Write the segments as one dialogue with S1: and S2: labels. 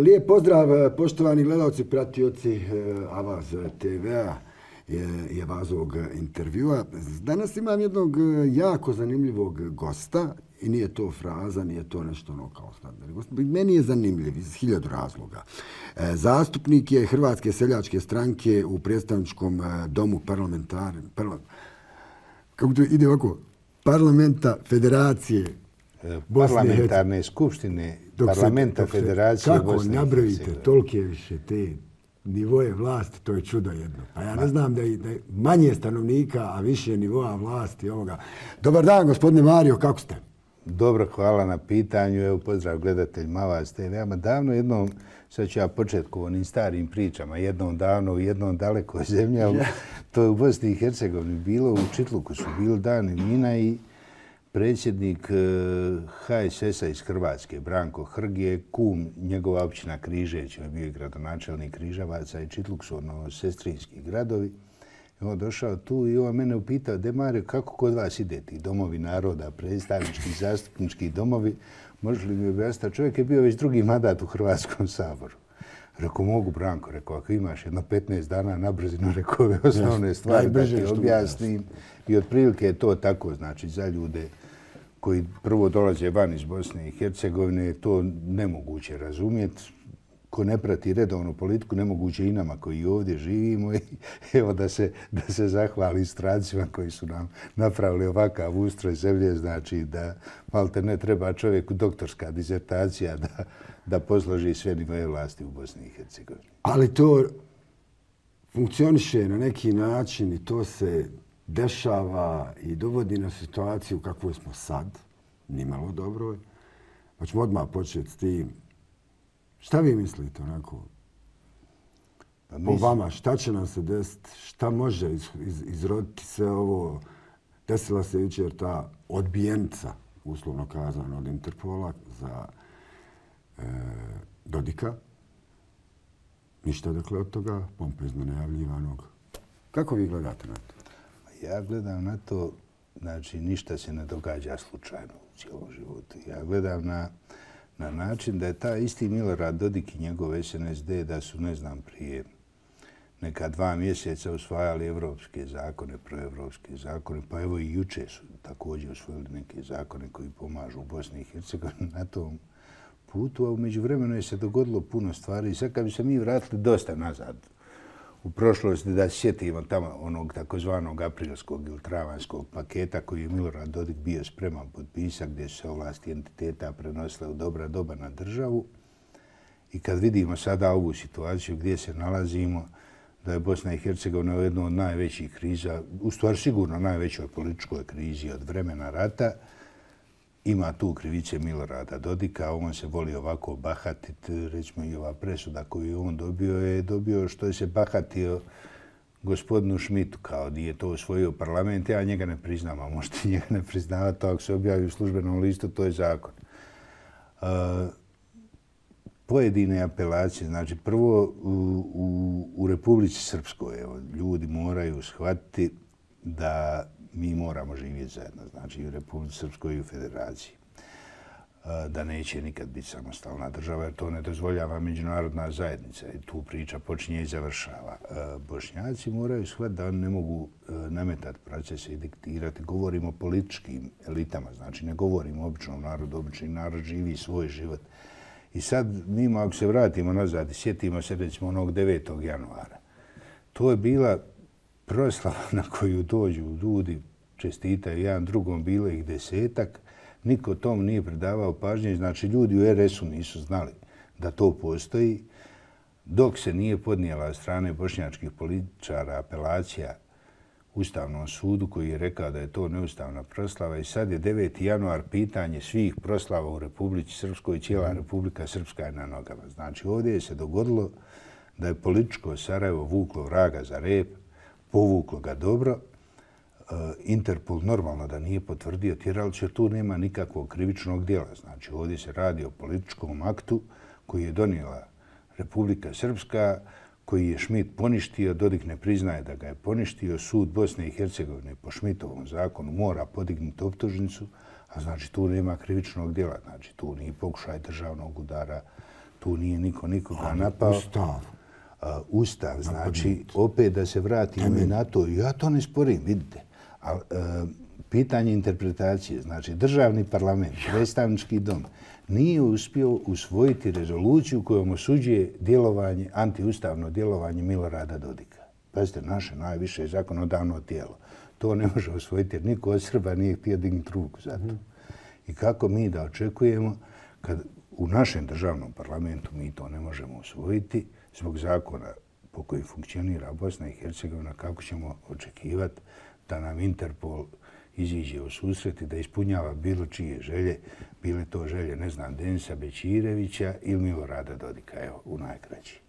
S1: Lijep pozdrav, poštovani gledalci, pratioci Avaz TV-a i Avazovog intervjua. Danas imam jednog jako zanimljivog gosta i nije to fraza, nije to nešto ono kao standardno. Meni je zanimljiv iz 1000 razloga. Zastupnik je Hrvatske seljačke stranke u predstavničkom domu kako to ide ovako? Parlamenta Federacije
S2: Parlamentarne skupštine Parlamenta Federacije Bosne i Hercegovine.
S1: Kako nabrojite tolike više te nivoje vlasti, to je čudo jedno. A ja ne znam da je manje stanovnika, a više nivoa vlasti ovoga. Dobar dan, gospodine Mario, kako ste?
S2: Dobro, hvala na pitanju. Evo, pozdrav gledateljima Avaz TV. Davno jednom, sad ću ja početi ko onim starim pričama, jednom davno u jednom dalekoj zemlji, ali to je u Bosni i Hercegovini bilo, u Čitluku su bili dani vina i predsjednik HSS-a iz Hrvatske, Branko Hrg, je kum njegova općina Križeveć, on je bio i gradonačelnik Križevaca i Čitluk su sestrinski gradovi. I on došao tu i on mene upitao, de Mario, kako kod vas ide ti domovi naroda, predstavnički, zastupnički domovi, može li mi objasniti? Čovjek je bio već drugi mandat u Hrvatskom saboru. Rekao, mogu Branko, rekao, ako imaš jedno 15 dana na brzinu, rekao ove osnovne stvari da ti objasnim. I otprilike je to tako, znači za ljude koji prvo dolaze van iz Bosne i Hercegovine, je to nemoguće razumjeti. Ko ne prati redovnu politiku, nemoguće i nama koji ovdje živimo. I evo da se zahvali strancima koji su nam napravili ovakav ustroj zemlje, znači da malte ne treba čovjeku doktorska disertacija da posloži sve nivoje vlasti u Bosni i Hercegovini.
S1: Ali to funkcioniše na neki način i to se dešava i dovodi na situaciju kakvoj smo sad, nimalo dobro. Pa ćemo odmah početi s tim. Šta vi mislite onako? Po vama, šta će nam se desiti? Šta može izroditi sve ovo? Desila se jučer ta odbijenica, uslovno kazano, od Interpola za Dodika. Ništa dakle od toga, pompezno najavljivanog. Kako vi gledate na to?
S2: Ja gledam na to, znači ništa se ne događa slučajno u cijelom životu. Ja gledam na način da je taj isti Milorad Dodik i njegov SNSD da su, ne znam, prije neka 2 mjeseca usvajali evropske zakone, proevropske zakone, pa evo i juče su također usvojili neke zakone koji pomažu u Bosni i Hercegovini na tom putu, a u međuvremenu je se dogodilo puno stvari i sad kad bi se mi vratili dosta nazad u prošlosti da sjetimo tamo onog takozvanog aprilskog ili travanjskog paketa koji je Milorad Dodik bio spreman potpisati gdje su se ovlasti entiteta prenosile u dobra doba na državu. I kad vidimo sada ovu situaciju gdje se nalazimo, da je Bosna i Hercegovina u jednoj od najvećih kriza, u stvari sigurno najvećoj političkoj krizi od vremena rata, ima tu krivice Milorada Dodika, on se voli ovako bahatiti, recimo i ova presuda koju je on dobio što je se bahatio gospodinu Schmidtu, kao da je to osvojio parlament, ja njega ne priznam, a možete njega ne priznavati, to ako se objavi u službenom listu, to je zakon. Pojedine apelacije, znači prvo u Republici Srpskoj, ljudi moraju shvatiti da mi moramo živjeti zajedno, znači i u Republici Srpskoj i u Federaciji. Da neće nikad biti samostalna država, jer to ne dozvoljava međunarodna zajednica i tu priča počinje i završava. Bošnjaci moraju shvatiti da oni ne mogu nametati procese i diktirati. Govorimo o političkim elitama, znači ne govorimo o običnom narodu, obični narod živi svoj život. I sad mi, ako se vratimo nazad i sjetimo se recimo onog 9. januara, to je bila proslava na koju dođu ljudi, čestitaju jedan drugom, bilo ih 10-ak, niko tom nije pridavao pažnje, znači ljudi u RS-u nisu znali da to postoji, dok se nije podnijela od strane bošnjačkih političara apelacija Ustavnom sudu koji je rekao da je to neustavna proslava i sad je 9. januar pitanje svih proslava u Republici Srpskoj i cijela Republika Srpska je na nogama. Znači ovdje je se dogodilo da je političko Sarajevo vuklo vraga za rep, povuklo ga dobro. Interpol normalno da nije potvrdio tjeralicu jer tu nema nikakvog krivičnog djela. Znači ovdje se radi o političkom aktu koji je donijela Republika Srpska, koji je Schmidt poništio, Dodik ne priznaje da ga je poništio. Sud Bosne i Hercegovine po Schmidtovom zakonu mora podignuti optužnicu, A znači tu nema krivičnog djela, znači tu nije pokušaj državnog udara, tu nije niko nikoga napao. Ustav, znači opet da se vratimo i na to, ja to ne sporim, vidite. Pitanje interpretacije, znači državni parlament, predstavnički dom, nije uspio usvojiti rezoluciju kojom osuđuje djelovanje, antiustavno djelovanje Milorada Dodika. Pazite, naše najviše zakonodavno tijelo. To ne može usvojiti jer niko od Srba nije htio dignuti ruku za to. I kako mi da očekujemo kad u našem državnom parlamentu mi to ne možemo usvojiti zbog zakona po kojim funkcionira Bosna i Hercegovina, kako ćemo očekivati da nam Interpol iziđe u susret i da ispunjava bilo čije želje, bile to želje, ne znam, Denisa Bećirevića ili Milorada Dodika, evo, u najkraći.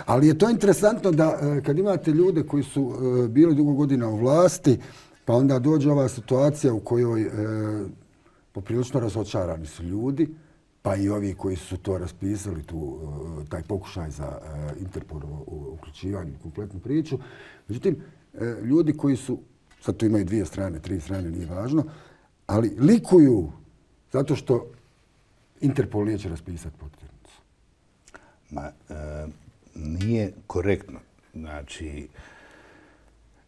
S1: Ali je to interesantno da kad imate ljude koji su bili dugo godina u vlasti, pa onda dođe ova situacija u kojoj poprilično razočarani su ljudi, pa i ovi koji su to raspisali, taj pokušaj za Interpolovo uključivanje u kompletnu priču. Međutim, ljudi koji su, sad tu imaju 2 strane, 3 strane, nije važno, ali likuju zato što Interpol neće raspisati potjernicu.
S2: Nije korektno. Znači,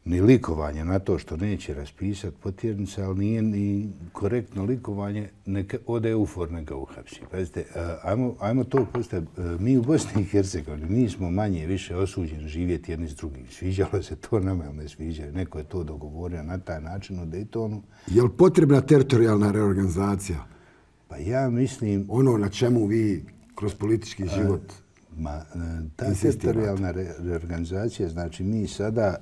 S2: ni likovanje na to što neće raspisati potjernice, ali nije ni korektno likovanje, neka ode EUFOR, neka uhapsi. Pazite, ajmo to postaviti. Mi u Bosni i Hercegovini, mi smo manje više osuđeni živjeti jedni s drugim. Sviđalo se to nama ili ne sviđalo. Neko je to dogovorio na taj način u Daytonu.
S1: Je li potrebna teritorijalna reorganizacija?
S2: Pa ja mislim...
S1: Ono na čemu vi kroz politički život
S2: ta teritorijalna reorganizacija, znači mi sada,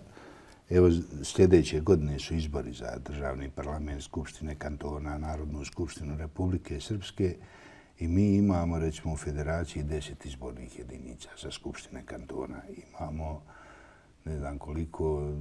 S2: evo sljedeće godine su izbori za državni parlament, skupštine kantona, Narodnu skupštinu Republike Srpske i mi imamo recimo u federaciji 10 izbornih jedinica za skupštine kantona. Imamo, ne znam koliko,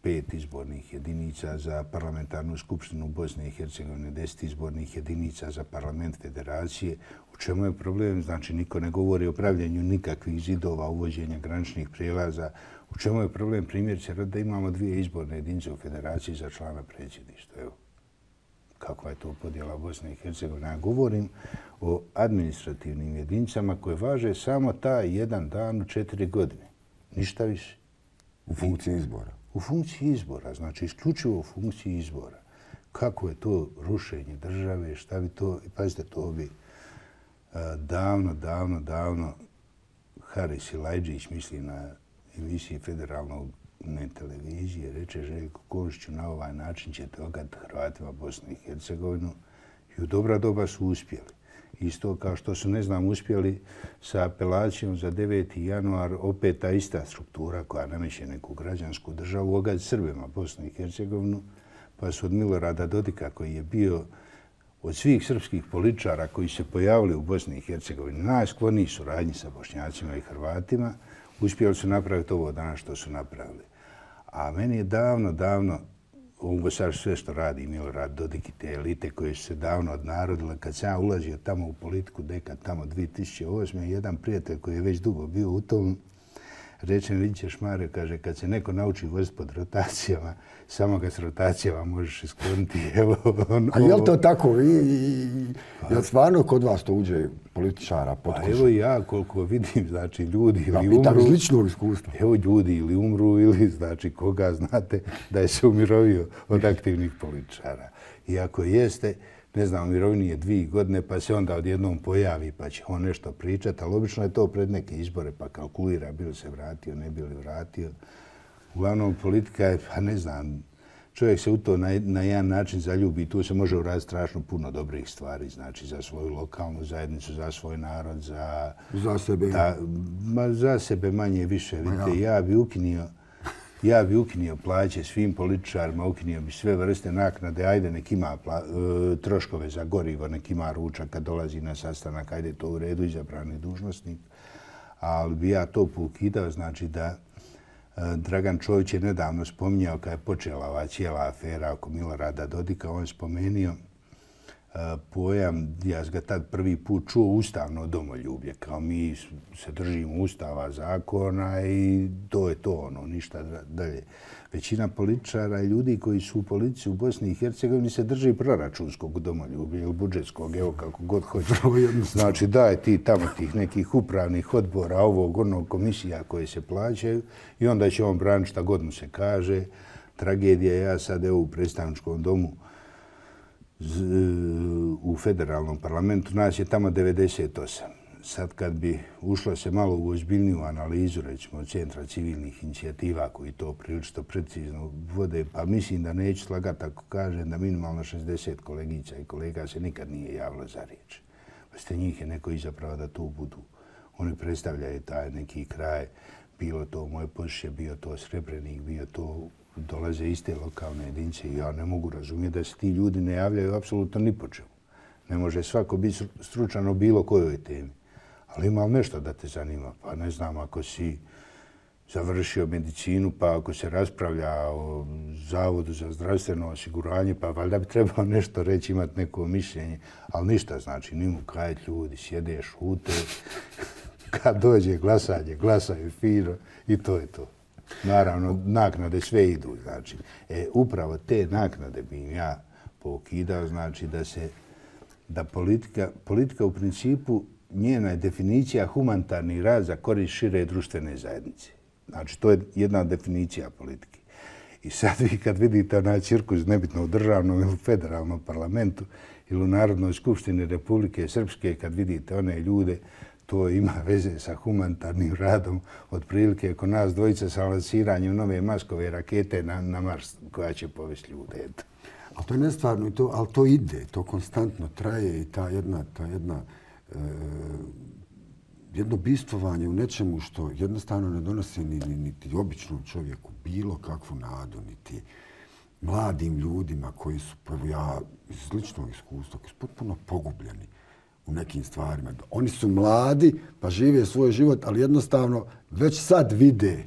S2: 5 izbornih jedinica za parlamentarnu skupštinu Bosne i Hercegovine, 10 izbornih jedinica za parlament federacije. U čemu je problem? Znači, niko ne govori o pravljenju nikakvih zidova, uvođenja graničnih prijelaza. U čemu je problem? Primjer da imamo 2 izborne jedinice u federaciji za člana predsjedništva. Evo, kakva je to podjela Bosne i Hercegovine? Ja govorim o administrativnim jedinicama koje važe samo taj jedan dan u 4 godine. Ništa više.
S1: U funkciji izbora.
S2: U funkciji izbora, znači isključivo u funkciji izbora. Kako je to rušenje države, šta bi to... Pazite, to bi davno Haris Ilajđić, misli na emisiji federalnog televizije, reče Željko Komšiću, na ovaj način ćete ogati Hrvatima Bosnu i Hercegovinu i u dobra doba su uspjeli. Isto kao što su, ne znam, uspjeli sa apelacijom za 9. januar, opet ta ista struktura koja nameće neku građansku državu, ogati Srbima Bosnu i Hercegovinu, pa su od Milorada Dodika, koji je bio od svih srpskih političara koji se pojavili u Bosni i Hercegovini, najskloniji suradnji sa Bošnjacima i Hrvatima, uspjeli su napraviti ovo danas što su napravili. A meni je davno, ovo sad sve što radi Milorad Dodik i te elite koje su se davno odnarodile, kad sam ja ulazio tamo u politiku, dekad tamo 2008. jedan prijatelj koji je već dugo bio u tom, reče mi, vidit ćeš Mario, kaže, kad se neko nauči voziti pod rotacijama, samo ga s rotacijama možeš iskloniti.
S1: A je li to tako? Je li stvarno kod vas to uđe političara pod kožu?
S2: Evo ja koliko vidim, znači ljudi ili umru...
S1: Pitam iz ličnog iskustva.
S2: Evo ljudi ili umru ili znači koga znate da je se umirovio od aktivnih političara. I ako jeste, ne znam, mirovini je 2 godine, pa se onda odjednom pojavi, pa će on nešto pričati, ali obično je to pred neke izbore, pa kalkulira bi li se vratio, ne bi li vratio. Uglavnom, politika je, pa ne znam, čovjek se u to na jedan način zaljubi i tu se može uraditi strašno puno dobrih stvari, znači za svoju lokalnu zajednicu, za svoj narod, za...
S1: Za sebe?
S2: Za sebe manje više. Vidite, ja bi ukinio plaće svim političarima, ukinio bi sve vrste naknade, ajde nek ima troškove za gorivo, nek ima ručak kad dolazi na sastanak, ajde to u redu, izabrani dužnosnik. Ali bi ja to poukidao, znači da Dragan Čović je nedavno spominjao kad je počela ova cijela afera oko Milorada Dodika, on je spomenuo pojam, ja sam ga tad prvi put čuo, ustavno domoljublje. Kao mi se držimo ustava, zakona i to je to, ništa dalje. Većina političara i ljudi koji su u politici u Bosni i Hercegovini se drži proračunskog domoljublja ili budžetskog, evo kako god hoće. Znači daje ti tamo tih nekih upravnih odbora, ovog, onog komisija koje se plaćaju i onda će on braniti šta god mu se kaže. Tragedija je, ja sad evo u predstavničkom domu u federalnom parlamentu, nas je tamo 98. Sad kad bi ušlo se malo u ozbiljniju analizu, recimo od Centra civilnih inicijativa koji to prilično precizno vode, pa mislim da neću slagati ako kažem da minimalno 60 kolegica i kolega se nikad nije javilo za riječ. Ste njih je neko izapravo da tu budu. Oni predstavljaju taj neki kraj, bilo to moje Pošiće, bio to Srebrenik, bio to dolaze iste lokalne jedinice i ja ne mogu razumjeti da se ti ljudi ne javljaju apsolutno ni po čemu. Ne može svako biti stručan o bilo kojoj temi. Ali ima nešto da te zanima. Pa ne znam, ako si završio medicinu, pa ako se raspravlja o Zavodu za zdravstveno osiguranje, pa valjda bi trebao nešto reći, imati neko mišljenje. Ali ništa, znači, nimu kajati ljudi, sjede, šute. Kad dođe glasanje, glasaju fino i to je to. Naravno, naknade sve idu, znači. Upravo te naknade bi im ja pokidao, znači da politika u principu njena je definicija humanitarni rad za korist šire društvene zajednice. Znači, to je jedna definicija politike. I sad vi kad vidite onaj cirkus, nebitno u državnom ili federalnom parlamentu ili u Narodnoj skupštini Republike Srpske, kad vidite one ljude, to ima veze sa humanitarnim radom, otprilike oko nas dvojica sa lansiranjem nove Maskove rakete na Mars koja će povesti ljude.
S1: Ali to je nestvarno, ali to ide, to konstantno traje i jedno bistvovanje u nečemu što jednostavno ne donosi niti običnom čovjeku bilo kakvu nadu, niti mladim ljudima koji su, ja iz ličnog iskustva, koji su potpuno pogubljeni u nekim stvarima. Oni su mladi, pa žive svoj život, ali jednostavno već sad vide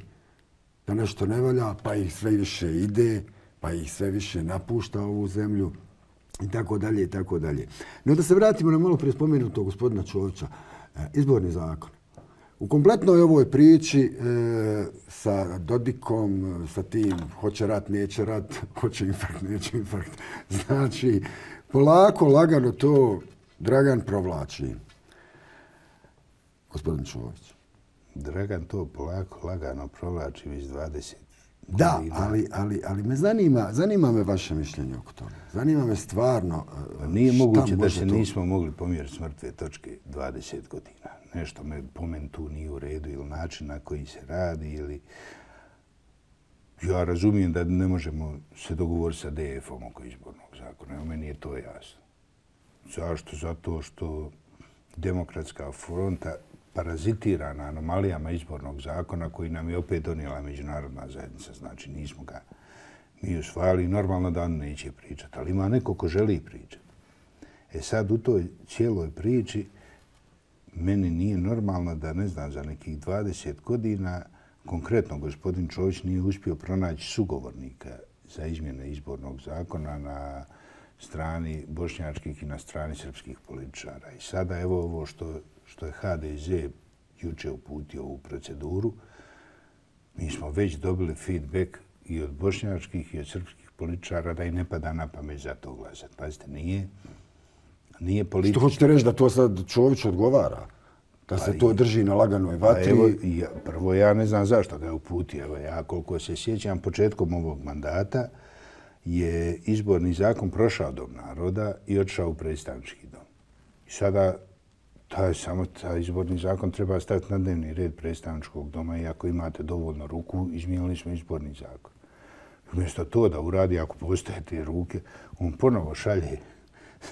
S1: da nešto ne valja, pa ih sve više ide, pa ih sve više napušta ovu zemlju i tako dalje i tako dalje. No da se vratimo na malo prije spomenutog gospodina Čovića. Izborni zakon. U kompletnoj ovoj priči sa Dodikom, sa tim hoće rat, neće rat, hoće infarkt, neće infarkt. Znači, polako, lagano to Dragan provlači. Gospodin Čović.
S2: Dragan to polako, lagano provlači već 20
S1: da,
S2: godina.
S1: ali me zanima me vaše mišljenje oko toga. Zanima me stvarno
S2: nije moguće da se nismo mogli pomjeriti s mrtve točke 20 godina. Nešto po meni tu nije u redu ili način na koji se radi ili... Ja razumijem da ne možemo se dogovoriti sa DF-om oko izbornog zakona. Evo, meni je to jasno. Zašto? Zato što Demokratska fronta parazitira na anomalijama izbornog zakona koji nam je opet donijela međunarodna zajednica. Znači, nismo ga mi usvajali. Normalno da on neće pričati, ali ima neko ko želi pričati. Sad u toj cijeloj priči meni nije normalno da, ne znam, za nekih 20 godina konkretno gospodin Čović nije uspio pronaći sugovornika za izmjene izbornog zakona na strani bošnjačkih i na strani srpskih političara. I sada evo ovo što je HDZ juče uputio u proceduru, mi smo već dobili feedback i od bošnjačkih i od srpskih političara da i ne pada na pamet za to glasati. Pazite, nije politika...
S1: Što hoćete reći da to sad Čović odgovara? Da se to drži na laganoj vatri?
S2: Prvo, ja ne znam zašto ga je uputio. Evo, ja koliko se sjećam, početkom ovog mandata je izborni zakon prošao Dom naroda i otišao u predstavnički dom. I sada taj izborni zakon treba staviti na dnevni red predstavničkog doma i ako imate dovoljno ruku, izmijenili smo izborni zakon. Umjesto to da uradi, ako postoje te ruke, on ponovo šalje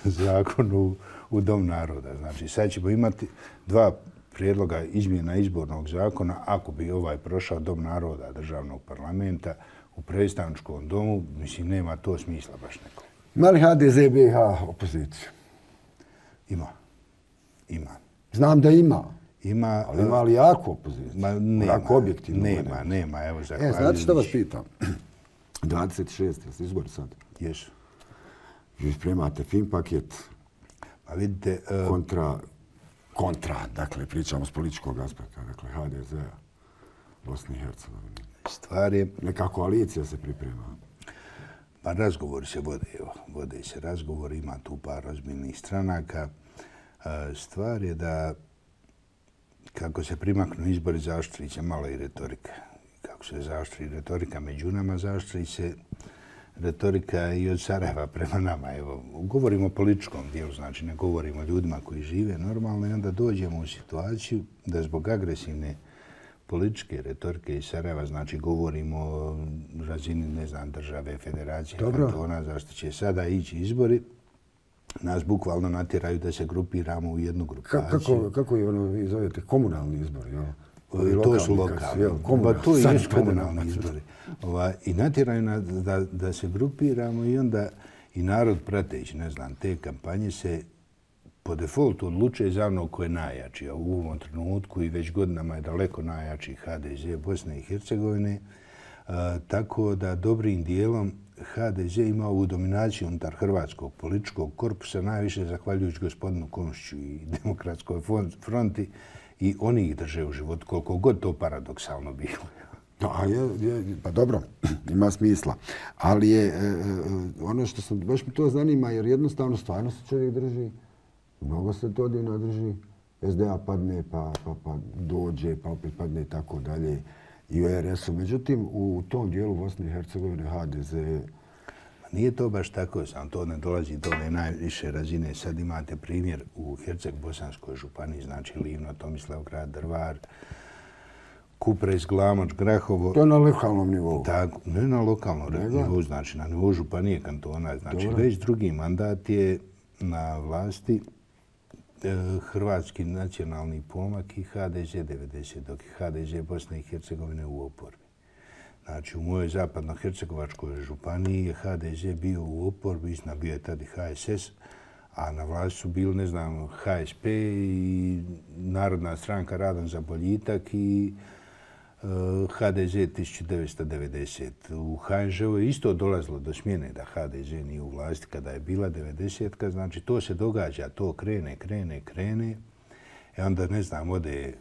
S2: zakon u Dom naroda. Znači, sad ćemo imati dva prijedloga izmjena izbornog zakona ako bi ovaj prošao Dom naroda državnog parlamenta u predstavničkom domu. Mislim, nema to smisla baš neko.
S1: Ima li HDZ BiH opoziciju?
S2: Ima.
S1: Znam da ima.
S2: Ima.
S1: Ali ima li jaku opoziciju? Jako objektivno.
S2: Nema. Evo,
S1: znate što vas pitam? 26. jeste izbori sad?
S2: Jesu.
S1: Vi spremate fin paket
S2: A vidite...
S1: Kontra, dakle, pričamo s političkog aspekta, dakle, HDZ-a, Bosne i Hercegovine.
S2: Stvar je...
S1: Neka koalicija se priprema.
S2: Pa razgovori se vode se razgovori, ima tu par ozbiljnih stranaka. Stvar je da kako se primaknu izbori, zaoštri se malo i retorika. Kako se zaoštri retorika među nama, zaoštri se retorika i od Sarajeva prema nama. Evo, govorimo o političkom dijelu, znači ne govorimo o ljudima koji žive normalno i onda dođemo u situaciju da zbog agresivne političke retorike iz Sarajeva, znači govorimo o razini, ne znam, države, federacije, kantona, zašto će sada ići izbori, nas bukvalno natjeraju da se grupiramo u jednu grupaciju.
S1: Kako je ono, vi zovete, komunalni izbori, jel?
S2: To su lokalni. Pa to i jesu komunalni izbori. I natjeraju nas da se grupiramo i onda i narod prateći, ne znam, te kampanje se po defaultu odlučuje za ono ko je najjači. A u ovom trenutku i već godinama je daleko najjači HDZ Bosne i Hercegovine. Tako da dobrim dijelom HDZ ima ovu dominaciju unutar hrvatskog političkog korpusa, najviše zahvaljujući gospodinu Komšiću i Demokratskoj fronti, i oni ih drže u životu, koliko god to paradoksalno bilo.
S1: Pa dobro, ima smisla. Ali je ono što sam, baš mi to zanima, jer jednostavno stvarno se čovjek drži, mnogo se to odjedno drži, SDA padne, pa dođe, pa opet padne i tako dalje, i u RS-u. Međutim, u tom dijelu Bosne i Hercegovine HDZ...
S2: Nije to baš tako, sam to ne dolazi do ove najviše razine. Sad imate primjer u Herceg-Bosanskoj županiji, znači Livno, Tomislavgrad, Drvar, Kupres, Glamoč, Grahovo.
S1: To je na lokalnom nivou?
S2: Tako, ne na lokalnom nivou, znači na nivou županije, kantona. Znači već drugi mandat je na vlasti Hrvatski nacionalni pomak i HDZ 90, dok je HDZ Bosne i Hercegovine u oporbi. Znači, u mojoj zapadno-hercegovačkoj županiji je HDZ bio u oporbi, istina bio je tada HSS, a na vlasti su bili, ne znam, HSP i Narodna stranka Radan za boljitak i HDZ 1990. U HNŽ-u je isto dolazilo do smjene da HDZ nije u vlasti kada je bila 90-ka, znači to se događa, to krene. I onda, ne znam, ode,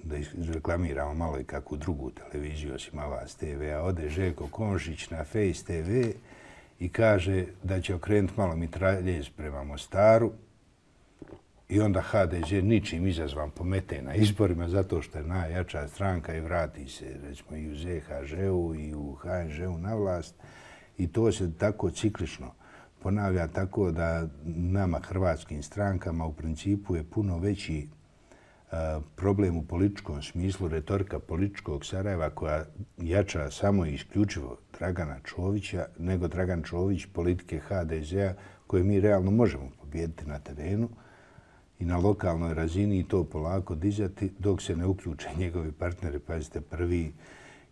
S2: da reklamiramo malo i kakvu drugu televiziju, osim Avaz TV-a, ode Željko Komšić na Face TV i kaže da će okrenuti malo mitraljez prema Mostaru i onda HDZ ničim izazvan pomete na izborima zato što je najjača stranka i vrati se recimo i u ZHŽ-u i u HNŽ-u na vlast i to se tako ciklično ponavlja tako da nama hrvatskim strankama u principu je puno veći problem u političkom smislu retorika političkog Sarajeva koja jača samo i isključivo Dragana Čovića nego Dragan Čović politike HDZ-a koje mi realno možemo pobijediti na terenu i na lokalnoj razini i to polako dizati dok se ne uključe njegovi partneri. Pazite, prvi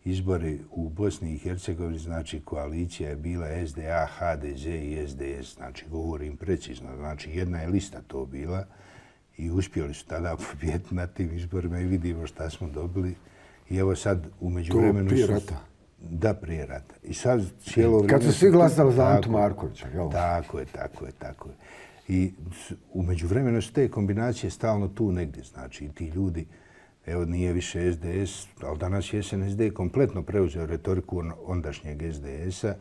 S2: izbori u Bosni i Hercegovini, znači koalicija je bila SDA, HDZ i SDS, znači govorim precizno, znači jedna je lista to bila i uspjeli su tada pobijediti na tim izborima i vidimo šta smo dobili. I evo sad u međuvremenu...
S1: To prije rata?
S2: Da, prije rata. I sad cijelo vrijeme...
S1: Kad su svi glasali za Antu Markovića, jel?
S2: Tako je. I u međuvremenu su te kombinacije stalno tu negdje. Znači, ti ljudi, evo nije više SDS, ali danas je SNSD kompletno preuzeo retoriku ondašnjeg SDS-a.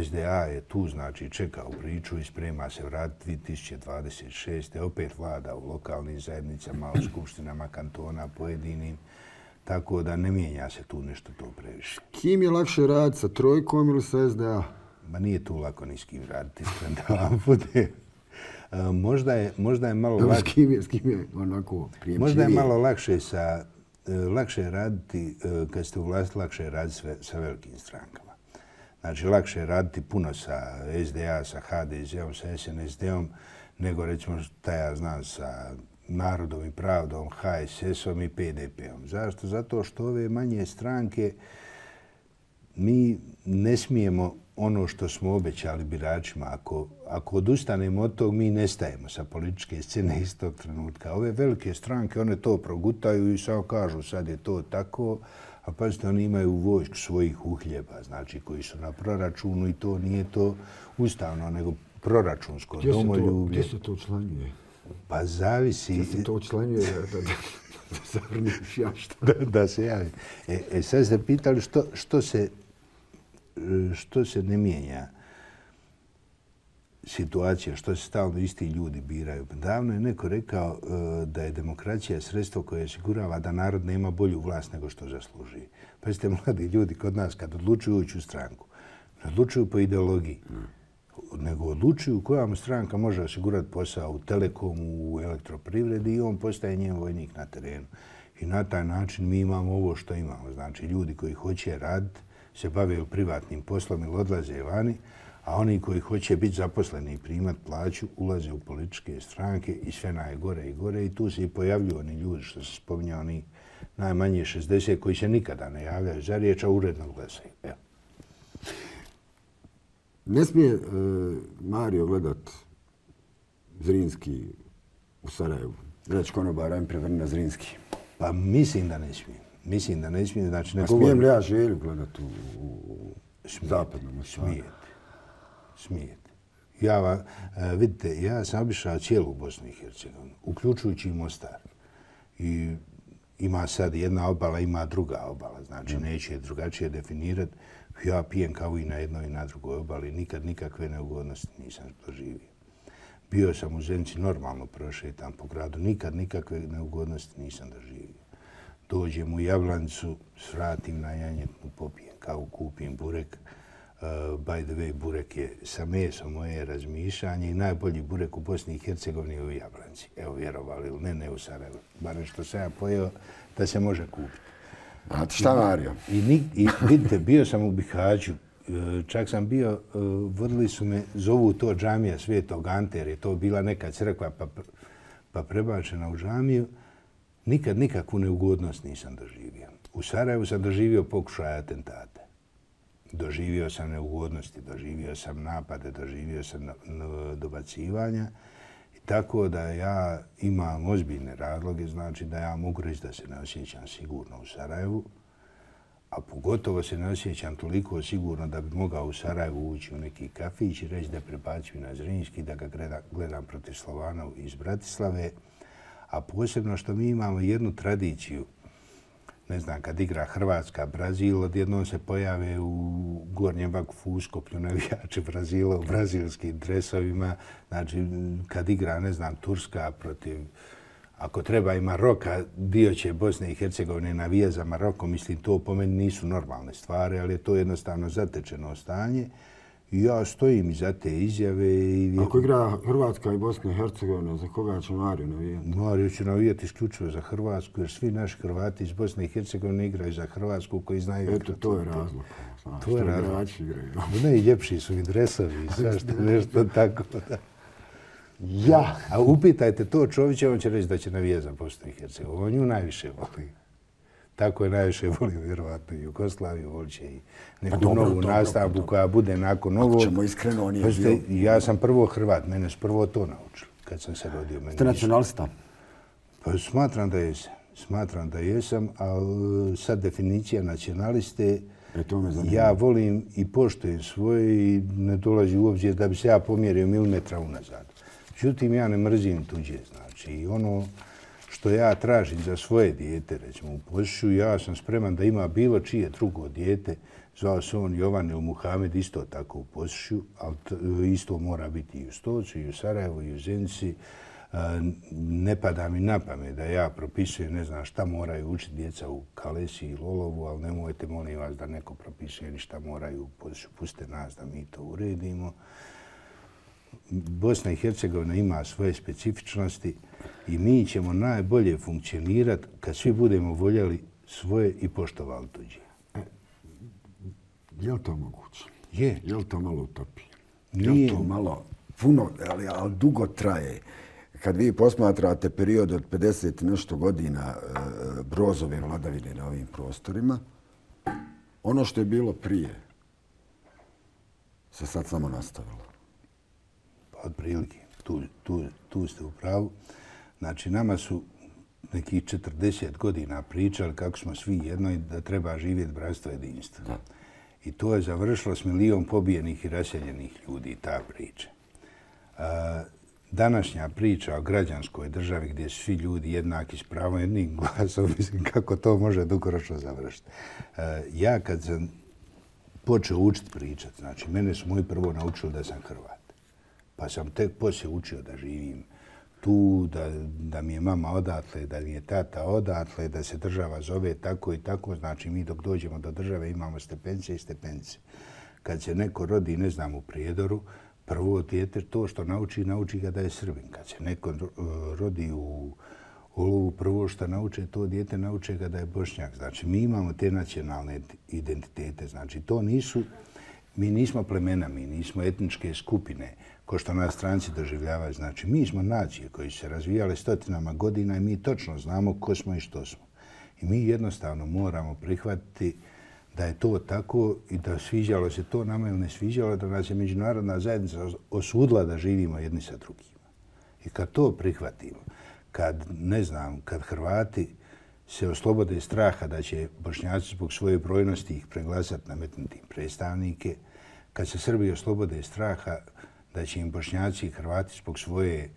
S2: SDA je tu, znači, čekao priču i sprema se vratiti 2026. Opet vlada u lokalnim zajednicama, u skupštinama kantona, pojedinim. Tako da ne mijenja se tu nešto to previše.
S1: Kim je lakše raditi, sa Trojkom ili sa SDA?
S2: Ma nije tu lako ni s kim raditi, da vam bude. Možda je malo lakše...
S1: S kim je onako prijemčivije?
S2: Možda je malo lakše raditi, kad ste u vlasti, lakše je raditi sa velikim strankama. Znači, lakše je raditi puno sa SDA, sa HDZ-om, sa SNSD-om, nego recimo šta ja znam sa Narodom i pravdom, HSS-om i PDP-om. Zašto? Zato što ove manje stranke mi ne smijemo ono što smo obećali biračima. Ako odustanemo od tog, mi nestajemo sa političke scene istog trenutka. Ove velike stranke, one to progutaju i samo kažu sad je to tako, a pazite, oni imaju vojsku svojih uhljeba, znači koji su na proračunu i to nije to ustavno, nego proračunsko domoljublje.
S1: Gdje se to učlanjuje?
S2: Pa zavisi...
S1: Gdje se to učlanjuje da zavrniš ja što?
S2: Da se javi. Sad ste pitali što se ne mijenja situacija, što se stalno isti ljudi biraju. Davno je neko rekao da je demokracija sredstvo koje osigurava da narod nema bolju vlast nego što zasluži. Pa ste mladi ljudi kod nas kad odlučuju ući u stranku, ne odlučuju po ideologiji, nego odlučuju koja mu stranka može osigurati posao u Telekomu, u elektroprivredi i on postaje njen vojnik na terenu. I na taj način mi imamo ovo što imamo. Znači, ljudi koji hoće raditi se bave privatnim poslom ili odlaze vani, a oni koji hoće biti zaposleni i primati plaću ulaze u političke stranke i sve najgore i gore. I tu se i pojavljuju oni ljudi što se spominja, oni najmanje 60 koji se nikada ne javljaju za riječ, a uredno glasaju. Evo.
S1: Ne smije Mario gledat Zrinski u Sarajevu. Reći konobara im prevrni na Zrinski.
S2: Pa mislim da ne smije. Mislim da ne smije. Znači,
S1: ne smijem li ja Želju gledat u zapadnom?
S2: Smijete. Vidite, ja sam obišao cijelu Bosnu i Hercegovinu, uključujući i Mostar. I ima sad jedna obala, ima druga obala. Znači, neće drugačije definirati. Ja pijem kavu i na jednoj i na drugoj obali. Nikad nikakve neugodnosti nisam doživio. Bio sam u Zenici, normalno prošetam po gradu. Nikad nikakve neugodnosti nisam doživio. Dođem u Jablanicu, svratim na janjetnu, popijem kavu, kupim burek. By the way, burek je sa mesom moje razmišljanje i najbolji burek u Bosni i Hercegovini je u Jablanici. Evo, vjerovali ili ne u Sarajevu. Barem što sam ja pojeo da se može kupiti.
S1: A šta, Mario?
S2: I vidite, bio sam u Bihaću. Čak sam bio, vodili su me, zovu to džamija Svetog Ante, jer je to bila neka crkva pa prebačena u džamiju. Nikad nikakvu neugodnost nisam doživio. U Sarajevu sam doživio pokušaj atentate. Doživio sam neugodnosti, doživio sam napade, doživio sam dobacivanja. I tako da ja imam ozbiljne razloge, znači da ja mogu reći da se ne osjećam sigurno u Sarajevu, a pogotovo se ne osjećam toliko sigurno da bi mogao u Sarajevu ući u neki kafić i reći da prebacujem na Zrinski, da ga gledam protiv Slovana iz Bratislave. A posebno što mi imamo jednu tradiciju, ne znam, kad igra Hrvatska, Brazil, odjednom se pojave u Gornjem Vakufu Uskoplju navijači Brazila u brazilskim dresovima. Znači, kad igra, ne znam, Turska protiv, ako treba i Maroka, dio će Bosne i Hercegovine navija za Maroko. Mislim, to po meni nisu normalne stvari, ali je to jednostavno zatečeno stanje. I ja stojim iza te izjave.
S1: Ako igra Hrvatska i Bosna i Hercegovina, za koga će Mario navijati?
S2: Mario će navijati isključivo za Hrvatsku, jer svi naši Hrvati iz Bosne i Hercegovine igraju za Hrvatsku koji znaju...
S1: Eto, to je razlog.
S2: To je razlog. Ne, i ljepši su i dresovi i svašta nešto tako.
S1: Ja!
S2: A upitajte to Čovića, on će reći da će navijati za Bosnu i Hercegovinu. On nju najviše voli. Tako je najviše volio vjerovatno i Jugoslaviju, volit će i neku novu nastavbu koja bude nakon ovog.
S1: Ako ćemo iskreno, on je bio...
S2: Ja sam prvo Hrvat, mene su prvo to naučili kad sam se rodio.
S1: Ste nacionalista?
S2: Pa smatram da jesam. Smatram da jesam, ali sad definicija nacionaliste, ja volim i poštujem svoje i ne dolazi u obzir da bi se ja pomjerio milimetra unazad. Međutim, ja ne mrzim tuđe, znači ono što ja tražim za svoje dijete, recimo u Posušu, ja sam spreman da ima bilo čije drugo dijete, zvao se on Jovan ili Muhamed, isto tako u Posušu, ali isto mora biti i u Stocu, i u Sarajevu, i u Zenici. Ne pada mi na pamet da ja propisujem, ne znam šta moraju učiti djeca u Kalesi i Lolovu, ali nemojte, molim vas, da neko propisuje ni šta moraju u Posušu. Pustite nas da mi to uredimo. Bosna i Hercegovina ima svoje specifičnosti i mi ćemo najbolje funkcionirati kad svi budemo voljeli svoje i poštovali tuđe.
S1: Je li to moguće?
S2: Je.
S1: Je li to malo utopije?
S2: Nije.
S1: Je li to malo puno, ali dugo traje? Kad vi posmatrate period od 50 nešto godina Brozove vladavine na ovim prostorima, ono što je bilo prije se sad samo nastavilo.
S2: Otprilike, tu ste u pravu. Znači, nama su nekih 40 godina pričali kako smo svi jedno i da treba živjeti bratstvo jedinstva. Da. I to je završilo s 1 milion pobijenih i raseljenih ljudi, ta priča. Današnja priča o građanskoj državi gdje su svi ljudi jednaki s pravom jednim glasom, mislim kako to može dugoročno završiti. Ja kad sam počeo učiti pričati, znači mene su moji prvo naučili da sam Hrvat. Pa sam tek poslije učio da živim tu, da mi je mama odatle, da mi je tata odatle, da se država zove tako i tako. Znači mi dok dođemo do države imamo stepence i stepence. Kad se neko rodi, ne znam, u Prijedoru, prvo dijete to što nauči ga da je Srbin. Kad se neko rodi u Olovu, prvo što nauče ga da je Bošnjak. Znači mi imamo te nacionalne identitete. Znači mi nismo plemena, mi nismo etničke skupine ko što nas stranci doživljavaju. Znači, mi smo nacije koji su se razvijale stotinama godina i mi točno znamo ko smo i što smo. I mi jednostavno moramo prihvatiti da je to tako i da sviđalo se to nama ili ne sviđalo, da nas je međunarodna zajednica osudila da živimo jedni sa drugima. I kad to prihvatimo, kad Hrvati se oslobode straha da će Bošnjaci zbog svoje brojnosti ih preglasati, nametnuti predstavnike, kad se Srbi oslobode straha da će im Bošnjaci i Hrvati zbog svoje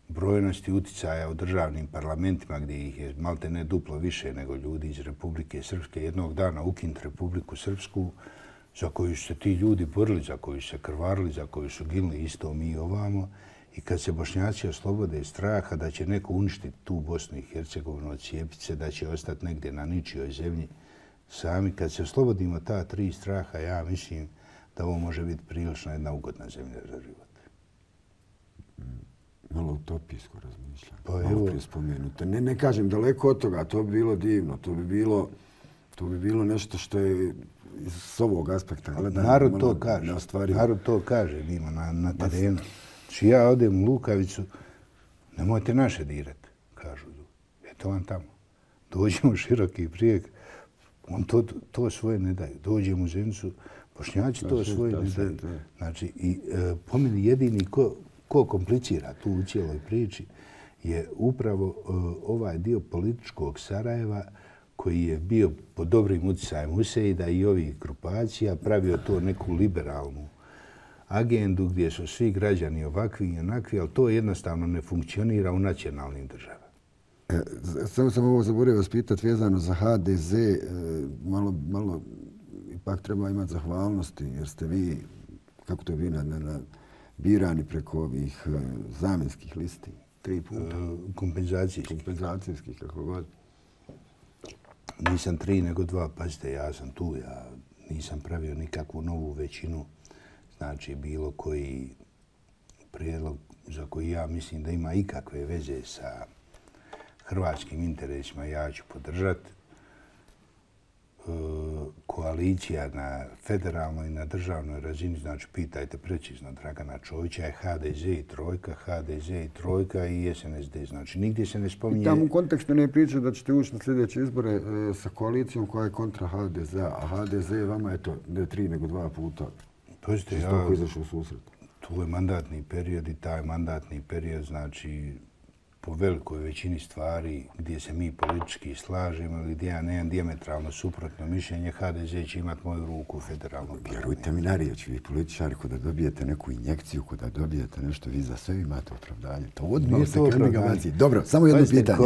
S2: brojnosti uticaja u državnim parlamentima, gdje ih je malte ne duplo više nego ljudi iz Republike Srpske, jednog dana ukinuti Republiku Srpsku, za koju su se ti ljudi borili, za koju su se krvarili, za koju su ginuli isto mi ovamo. I kad se Bošnjaci oslobode straha da će neko uništiti tu Bosnu i Hercegovinu, odcijepiti se, da će ostati negdje na ničijoj zemlji sami, kad se oslobodimo ta tri straha, ja mislim da ovo može biti prilično jedna ugodna zemlja za život.
S1: Malo utopijsko razmišljam.
S2: Pa
S1: malo prije spomenuto. Ne kažem daleko od toga, to bi bilo divno, to bi bilo nešto što je s ovog aspekta gledano.
S2: Narod to kaže, mimo na terenu. Či ja odem u Lukavicu, nemojte naše dirati, kažu. Eto vam tamo. Dođemo u Široki Brijeg, on to svoje ne daju. Dođemo u Zenicu, Bošnjaci to svoje ne daju. Znači, i po meni jedini ko komplicira tu u cijeloj priči je upravo ovaj dio političkog Sarajeva koji je bio pod dobrim utjecajem Huseida i ovih grupacija, pravio to neku liberalnu agendu gdje su svi građani ovakvi i onakvi, ali to jednostavno ne funkcionira u nacionalnim državama.
S1: Samo sam ovo zaboravio vas pitati vezano za HDZ. Malo ipak treba imati zahvalnosti jer ste vi, kako to je vi, birani preko ovih zamjenskih listi. 3 puta. Kompenzacijskih, kako god.
S2: Nisam 3 nego 2, pazite, ja sam tu, ja nisam pravio nikakvu novu većinu. Znači, bilo koji prijedlog za koji ja mislim da ima ikakve veze sa hrvatskim interesima, ja ću podržati. Koalicija na federalnoj i na državnoj razini, znači pitajte precizno Dragana Čovića, je HDZ i trojka i SNSD. Znači, nigdje se ne spominje...
S1: I tamo u kontekstu ne priča da ćete ući na sljedeće izbore sa koalicijom koja je kontra HDZ-a, a HDZ vama je to ne 3 nego 2 puta.
S2: Pazite,
S1: ja izašao u susret.
S2: Tu je mandatni period i taj mandatni period, znači, po velikoj većini stvari gdje se mi politički slažemo ili gdje ja nemam dijametralno suprotno mišljenje, HDZ će imati moju ruku u federalnom parlamentu.
S1: Vjerujte mi na riječ, vi političari, kada dobijete neku injekciju, kada dobijete nešto, vi za sve imate opravdanje. To odmah se krene. Dobro, samo jedno pitanje.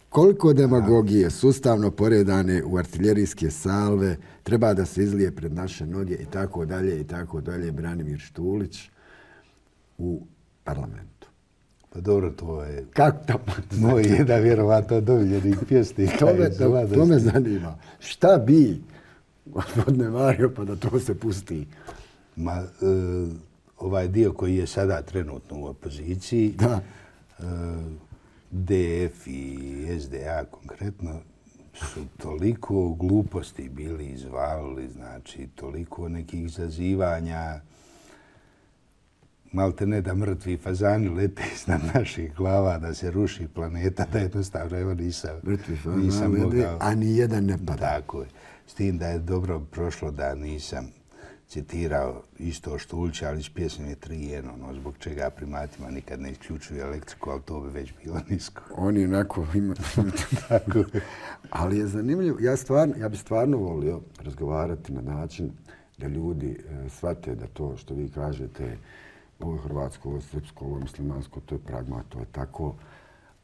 S1: Koliko demagogije sustavno poredane u artiljerijske salve treba da se izlije pred naše noge i tako dalje, Branimir Štulić u parlamentu?
S2: Pa dobro, to je moj jedan vjerovatno domiljeni pjesnik.
S1: To me zanima. Šta bi, gospodine Mario, pa da to se pusti?
S2: Ovaj dio koji je sada trenutno u opoziciji, DF i SDA konkretno, su toliko gluposti bili izvalili, znači toliko nekih zazivanja, malte ne da mrtvi fazani lete iznad naših glava, da se ruši planeta, da jednostavno evo nisam mogao.
S1: A ni jedan ne pada.
S2: Tako je. S tim da je dobro prošlo da nisam citirao isto Štulića, ali iz pjesme je 3-1, zbog čega primatima nikad ne isključuju elektriku, ali to bi već bilo nisko.
S1: Oni onako ima... Ali je zanimljivo. Ja bi stvarno volio razgovarati na način da ljudi shvate da to što vi kažete, ovo je hrvatsko, ovo je srpsko, ovo je muslimansko, to je pragma, to je tako,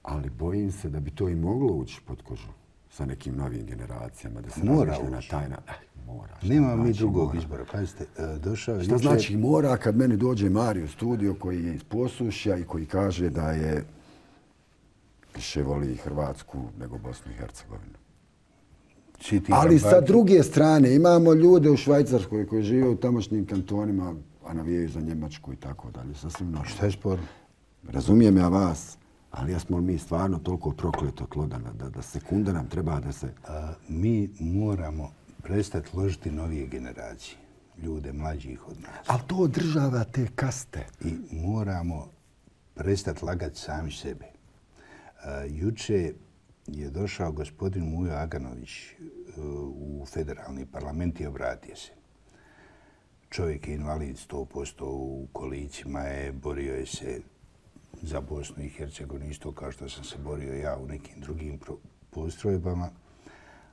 S1: ali bojim se da bi to i moglo ući pod kožu sa nekim novim generacijama, da se razmišlja na taj način. Mora.
S2: Nema mi drugog izbora. Pazite, došao je...
S1: Šta znači mora kad meni dođe Mario u studio koji je iz Posušja i koji kaže da je više voli Hrvatsku nego Bosnu i Hercegovinu. Ali sa druge strane imamo ljude u Švajcarskoj koji žive u tamošnjim kantonima, a navijaju za Njemačku i tako dalje. Sasvim normalno.
S2: Šta je sporno?
S1: Razumijem ja vas, ali jesmo mi stvarno toliko prokleto tlo da sekunda nam treba da se...
S2: Mi moramo prestati ložiti novije generacije, ljude mlađih od nas.
S1: Ali to održava te kaste.
S2: I moramo prestati lagati sami sebe. Juče je došao gospodin Mujo Aganović u federalni parlament i obratio se. Čovjek je invalid 100%, u kolicima je, borio je se za Bosnu i Hercegovinu, isto kao što sam se borio ja u nekim drugim postrojbama.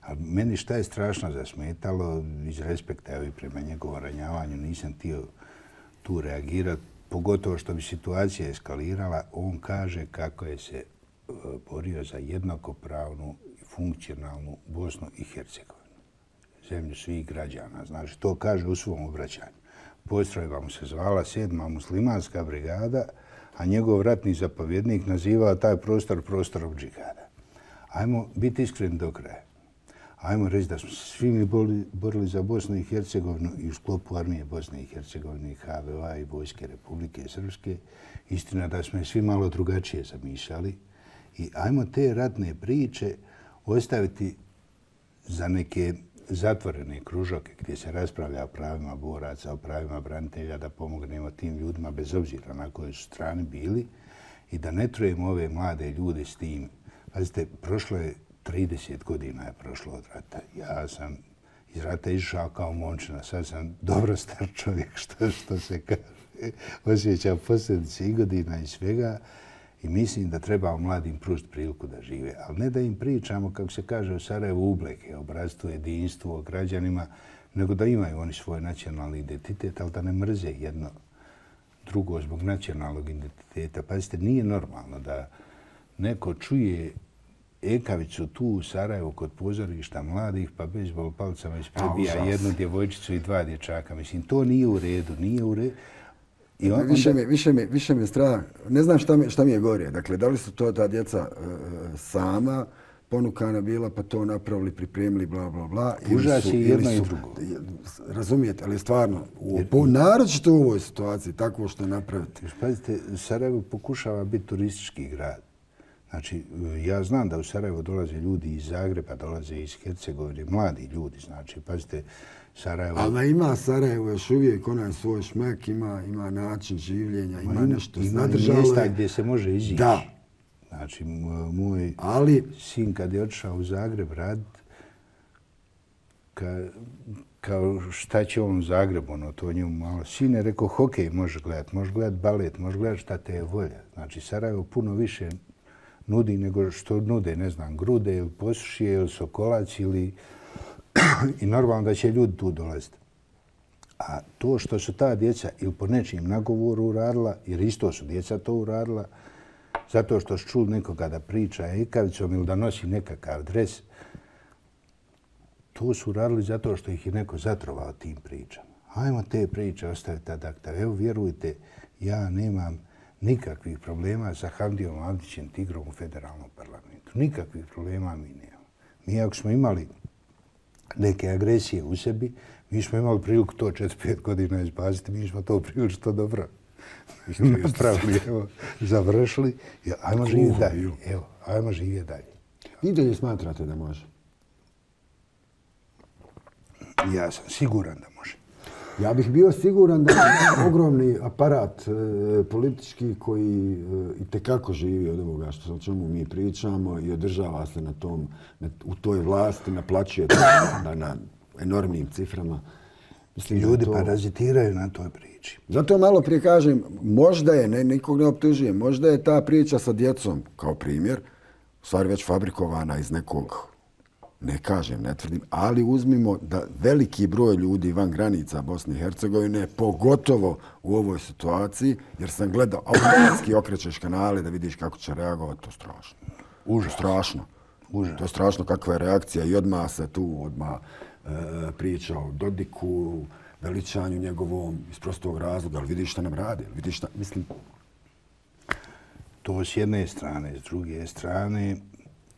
S2: A meni šta je strašno zasmetalo, iz respekta i prema njegovom ranjavanju, nisam htio tu reagirati, pogotovo što bi situacija eskalirala. On kaže kako je se borio za jednakopravnu i funkcionalnu Bosnu i Hercegovinu. Zemlju svih građana. Znači, to kaže u svom obraćanju. Postrojba mu se zvala 7. muslimanska brigada, a njegov ratni zapovjednik nazivao taj prostor prostorom džihada. Ajmo biti iskreni do kraja. Ajmo reći da smo se svi mi borili za Bosnu i Hercegovinu i u sklopu armije Bosne i Hercegovine i HVO-a i Vojske Republike Srpske. Istina da smo je svi malo drugačije zamišljali. I ajmo te ratne priče ostaviti za neke zatvorene kružoke gdje se raspravlja o pravima boraca, o pravima branitelja, da pomognemo tim ljudima bez obzira na kojoj su strani bili i da ne trujemo ove mlade ljude s tim. Pazite, prošlo je 30 godina je prošlo od rata. Ja sam iz rata išao kao momčina. Sad sam dobro star čovjek, što se kaže. Osjećam posljedice i godina i svega. I mislim da treba mladim pružiti priliku da žive. Ali ne da im pričamo, kako se kaže u Sarajevu, ubleke, o bratstvu, jedinstvu, o građanima, nego da imaju oni svoj nacionalni identitet, ali da ne mrze jedno drugo zbog nacionalnog identiteta. Pazite, nije normalno da neko čuje ekavicu tu u Sarajevu kod pozorišta mladih, pa bejzbol palicama isprebija jednu djevojčicu i 2 dječaka. Mislim, to nije u redu, nije u redu.
S1: Više me strah. Ne znam šta mi je gore. Dakle, da li su to ta djeca sama ponukana bila, pa to napravili, pripremili, bla, bla, bla.
S2: Užas je jedno i drugo.
S1: Razumijete, ali stvarno, naročito u ovoj situaciji, tako što napraviti.
S2: Pazite, Sarajevo pokušava biti turistički grad. Znači, ja znam da u Sarajevo dolaze ljudi iz Zagreba, dolaze iz Hercegovine, mladi ljudi, znači, pazite, Sarajevo...
S1: Ali ima Sarajevo još uvijek onaj svoj šmek, ima način življenja, ima nešto
S2: sadržalo. Ima mjesta gdje se može izići.
S1: Da.
S2: Znači, moj sin kad je otišao u Zagreb raditi, kao šta će on u Zagrebu, ono, to njemu malo. Sine, rekao, hokej može gledati balet, može gledati šta te je volja. Znači, Sarajevo puno više nudi nego što nude, ne znam, Grude ili Posušje ili Sokolac ili... I normalno da će ljudi tu dolaziti. A to što su ta djeca ili po nečim nagovoru uradila, jer isto su djeca to uradila, zato što su čuli nekoga da priča ekavicom ili da nosi nekakav dres, to su uradili zato što ih je neko zatrovao tim pričama. Ajmo te priče ostaviti ad acta. Evo, vjerujte, ja nemam nikakvih problema sa Hamdijom Avdićem Tigrom u federalnom parlamentu. Nikakvih problema mi nemamo. Mi ako smo imali neke agresije u sebi, mi smo imali priliku to 4-5 godina izbaziti, mi smo to prilično dobro napravili, evo, završili. Ajmo živjeti dalje. Evo, ajmo živjeti dalje.
S1: Vi dalje smatrate da može?
S2: Ja sam siguran da može.
S1: Ja bih bio siguran da je ogromni aparat politički koji itekako živi od ovoga o čemu mi pričamo i održava se u toj vlasti, naplaćuje na enormnim ciframa.
S2: Mislim, ljudi parazitiraju na toj priči.
S1: Zato malo prije kažem, možda je, nikog ne optužujem, možda je ta priča sa djecom, kao primjer, u stvari već fabrikovana iz nekog Ne kažem, ne tvrdim, ali uzmimo da veliki broj ljudi van granica Bosne i Hercegovine, pogotovo u ovoj situaciji, jer sam gledao, automatski okrećeš kanale da vidiš kako će reagovati, to je strašno.
S2: Užas.
S1: Strašno.
S2: Užas.
S1: To je strašno kakva je reakcija i odmah se tu priča o Dodiku, veličanju njegovom iz prostog razloga, ali vidiš šta nam radi, vidiš šta, mislim...
S2: To s jedne strane, s druge strane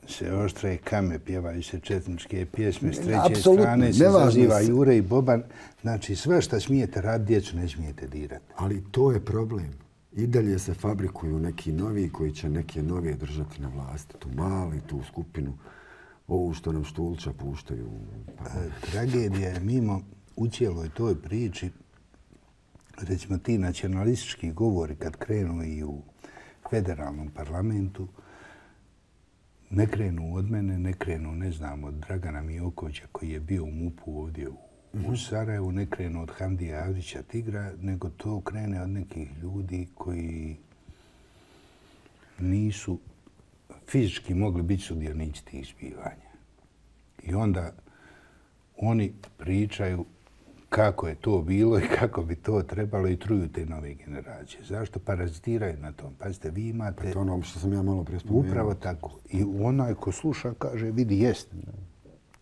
S2: se oštre kame, pjevaju se četničke pjesme, s treće strane se zaziva Jure i Boban. Znači sve što smijete raditi, djecu ne smijete dirati.
S1: Ali to je problem. I dalje se fabrikuju neki novi koji će neke novije držati na vlasti. Tu mali, tu skupinu, ovu što nam Štulča puštaju.
S2: Tragedija je mimo u cijeloj toj priči, recimo ti nacionalistički govori kad krenu i u federalnom parlamentu, ne krenu od mene, ne krenu, ne znam, od Dragana Mijokovića koji je bio u MUP-u ovdje u Sarajevu, ne krenu od Hamdija Avdića Tigra, nego to krene od nekih ljudi koji nisu fizički mogli biti sudionici tih zbivanja. I onda oni pričaju kako je to bilo i kako bi to trebalo i truju te nove generacije. Zašto? Parazitiraju na tom. Pazite, vi imate...
S1: Pa to ono što sam ja malo prije spomenuo.
S2: Upravo tako. I onaj ko sluša kaže, vidi, jest.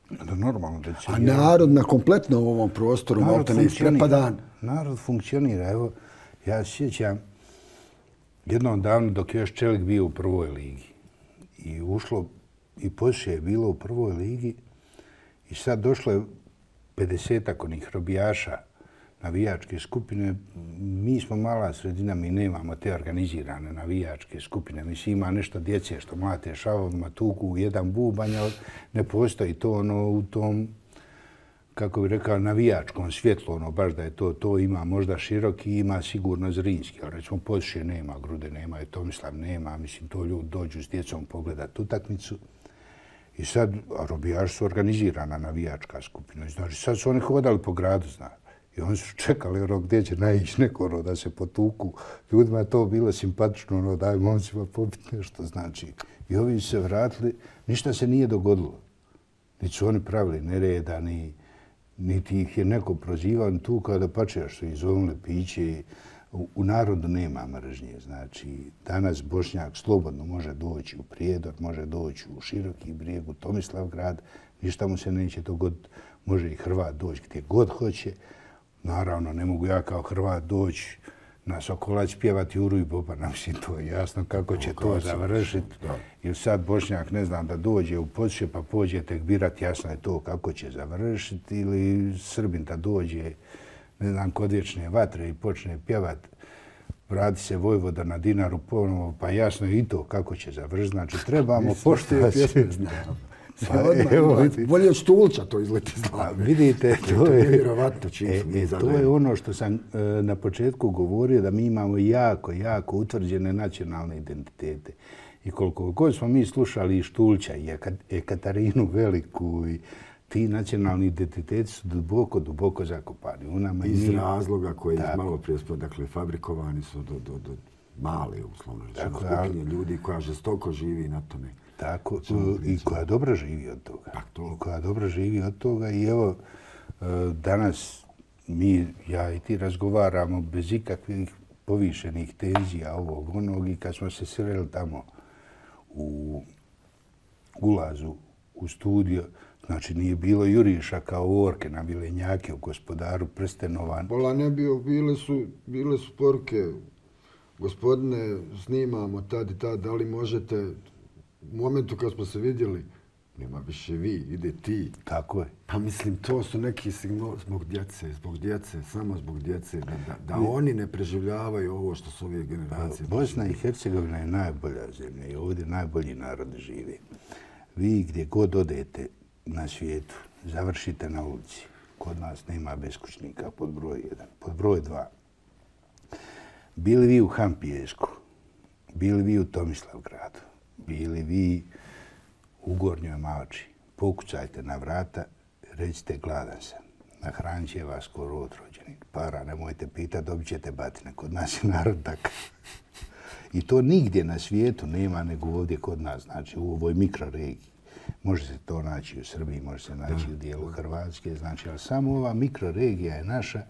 S2: Da normalno da će...
S1: A narod na kompletno ovom prostoru malo ne isprepadan.
S2: Narod funkcionira. Evo, ja se sjećam jednom davno dok je još Čelik bio u prvoj ligi. I ušlo, i poslije je bilo u prvoj ligi i sad došlo je 50-ak onih robijaša navijačke skupine. Mi smo mala sredina, mi nemamo te organizirane navijačke skupine. Mislim, ima nešto djece što mlate šavovima, tuku jedan bubanj, ali ne postoji to ono u tom, kako bih rekao, navijačkom svjetlu, ono baš da je to ima možda Široki, ima sigurno Zrinski. Ali recimo Podšije nema, Grude nema, i Tomislav nema, mislim, to ljudi dođu s djecom pogledati utakmicu. I sad, robijaši su organizirana navijačka skupina. Znači, sad su oni hodali po gradu, znaš. I oni su čekali ono gdje će naići neko da se potuku. Ljudima je to bilo simpatično, ono daj momcima popiti nešto, znači. I ovi su se vratili, ništa se nije dogodilo. Niti su oni pravili nereda, niti ih je neko prozivao, ni tu kada pačejaš su izvolili piće. U narodu nema mržnje. Znači, danas Bošnjak slobodno može doći u Prijedor, može doći u Široki Brijeg, u Tomislavgrad, ništa mu se neće dogoditi. Može i Hrvat doći gdje god hoće. Naravno, ne mogu ja kao Hrvat doći na Sokolac pjevati Juru i Bobana. Mislim, to je jasno kako će to završiti. Jer sad Bošnjak, ne znam, da dođe u Podšije pa pođe tek birati, jasno je to kako će završiti. Ili Srbin da dođe, ne znam, kod Vječne vatre i počne pjevat, vrati se Vojvoda na Dinaru ponovo, pa jasno je i to kako će završiti. Znači, trebamo poštovati.
S1: Bolje od Štulča to izleti iz glave.
S2: Vidite,
S1: to
S2: je ono što sam na početku govorio, da mi imamo jako utvrđene nacionalne identitete. I koliko god smo mi slušali i Štulča i Katarinu Veliku, i ti nacionalni identiteti su duboko zakopani.
S1: Iz razloga koji je malo prije dakle, fabrikovani su do male, uslovno rečeno, skupine ljudi koja žestoko živi na tome.
S2: Tako, i koja dobro živi od toga. I koja dobro živi od toga. I evo, danas mi, ja i ti razgovaramo bez ikakvih povišenih tenzija ovog onog i kad smo se sreli tamo u ulazu u studio, znači nije bilo juriša kao orke na vilenjake u Gospodaru prstenova.
S1: Bola ne bio, bile su poruke, gospodine, snimamo tad i tad, da li možete, u momentu kad smo se vidjeli, nema više vi, ide ti.
S2: Tako je.
S1: Pa mislim, to su neki signali zbog djece, samo zbog djece, da oni ne preživljavaju ovo što su ove generacije.
S2: Bosna i Hercegovina je najbolja zemlja i ovdje najbolji narodi žive. Vi gdje god odete na svijetu, završite na ulici. Kod nas nema beskućnika, pod broj 1. Pod broj 2. Bili vi u Hampijesku, bili vi u Tomislavgradu, bili vi u Gornjoj Malči, pokucajte na vrata, recite gladan sam. Nahranit će vas ko rod rođenik. Para nemojte pitati, dobit ćete batine. Kod nas je narod takav. I to nigdje na svijetu nema nego ovdje kod nas, znači u ovoj mikroregiji. Može se to naći u Srbiji, može se naći u dijelu Hrvatske, znači, ali samo ova mikroregija je naša,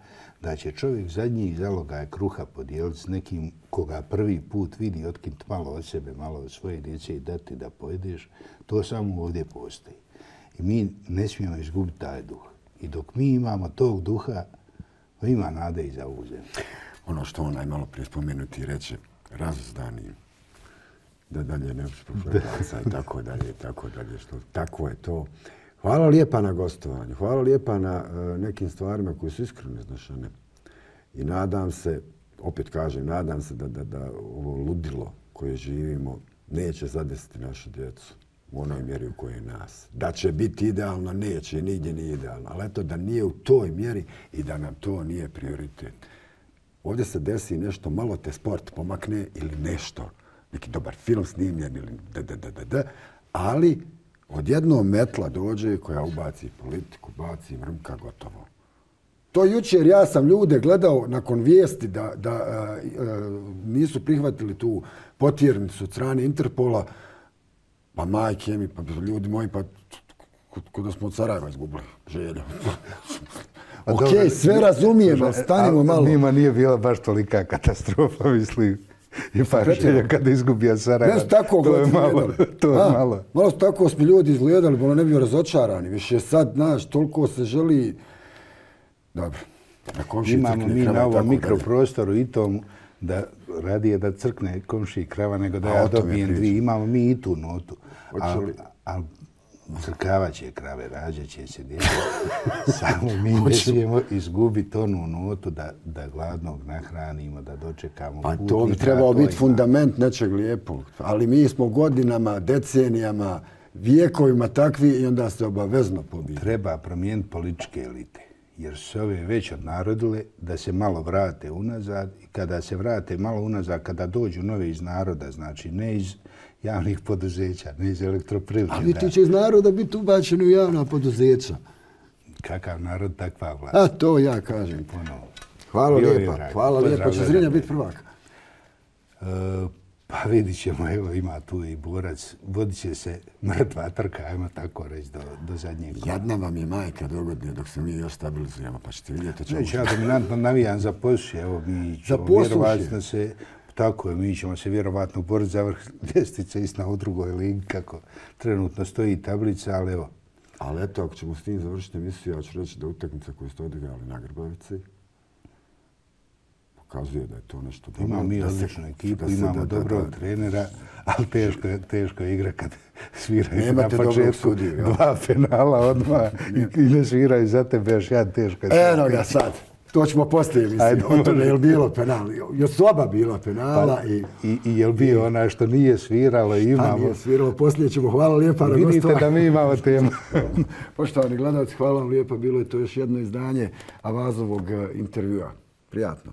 S2: da će čovjek zadnji zalogaj kruha podijeliti s nekim koga prvi put vidi, otkinuti malo od sebe, malo od svoje djece i dati da pojedeš, to samo ovdje postoji. I mi ne smijemo izgubiti taj duh. I dok mi imamo tog duha, ima nade i za ovu zemlju.
S1: Ono što onaj malo prije spomenuti reče, razuzdani, da dalje ne uspješa i tako dalje, tako dalje. Tako je to. Hvala lijepa na gostovanju, hvala lijepa na nekim stvarima koje su iskreno iznašane. I nadam se, opet kažem, nadam se da ovo ludilo koje živimo neće zadesiti našu djecu u onoj mjeri u kojoj je nas. Da će biti idealno, neće, nigdje nije idealno. Ali eto da nije u toj mjeri i da nam to nije prioritet. Ovdje se desi nešto, malo te sport pomakne ili nešto, neki dobar film snimljen ili ali odjednom metla dođe koja ubaci politiku, baci mrmka, gotovo. To jučer ja sam ljude gledao nakon vijesti da nisu prihvatili tu potjernicu od strane Interpola, pa majke mi, pa ljudi moji, pa kod da smo od Sarajeva izgubili želju. Okej, sve razumijemo, stanimo malo.
S2: Njima nije bila baš tolika katastrofa, mislim. I pa želja kada izgubija Sarajevo. To je malo. To je malo.
S1: Malo tako smo ljudi izgledali, bilo ne bio razočarani. Više sad, znaš, toliko se želi... Dobro.
S2: Imamo mi na ovom mikroprostoru i tom da radije da crkne komšiji krava nego da ja dobijem dvije. Imamo mi i tu notu. Ali crkavat će krave, rađat će se djece. Samo mi ne smijemo izgubiti onu notu da gladnog nahranimo, da dočekamo
S1: putnika. Pa to bi trebao biti fundament nečeg lijepog. Ali mi smo godinama, decenijama, vijekovima takvi i onda se obavezno pobiti.
S2: Treba promijeniti političke elite. Jer su se ove već odnarodile da se malo vrate unazad i kada se vrate malo unazad, kada dođu nove iz naroda, znači ne iz javnih poduzeća, ne iz elektroprivrede.
S1: Ali ti će iz naroda biti ubačeni u javna poduzeća.
S2: Kakav narod, takva vlast.
S1: A to ja kažem ponovo. Hvala lijepa. Hvala lijepa. Će Zrinja biti prvak?
S2: Pa vidit ćemo, evo ima tu i borac. Vodit će se mrtva trka, ajmo tako reći, do zadnjeg kola.
S1: Jadna vam je majka dogodine dok se mi još stabilizujemo, pa ćete vidjeti čemu.
S2: Ja dominantno navijam za Posušje, evo mi ćemo vjerovatno se... Tako je, mi ćemo se vjerovatno boriti za vrh ljestvice istina u drugoj ligi, kako trenutno stoji tablica, ali evo.
S1: Ali eto, ako ćemo s tim završiti emisiju, ja ću reći da utakmica koju ste odigrali na Grbavici pokazuje da je to nešto dobro.
S2: Imamo mi odličnu ekipu, imamo dobrog trenera, ali teško je igra kad sviraju na početku dva penala odmah i ne sviraju za tebe još jedan teško.
S1: Eno ga sad. To ćemo poslije misliti. O tome je li bilo penala? Još su oba bila penala.
S2: I je li bio onaj što nije sviralo i imamo...
S1: A nije sviralo, poslije ćemo. Hvala lijepa na gostovanje.
S2: Vidite da mi imamo temu.
S1: Poštovani gledalci, hvala vam lijepa. Bilo je to još jedno izdanje Avazovog intervjua. Prijatno.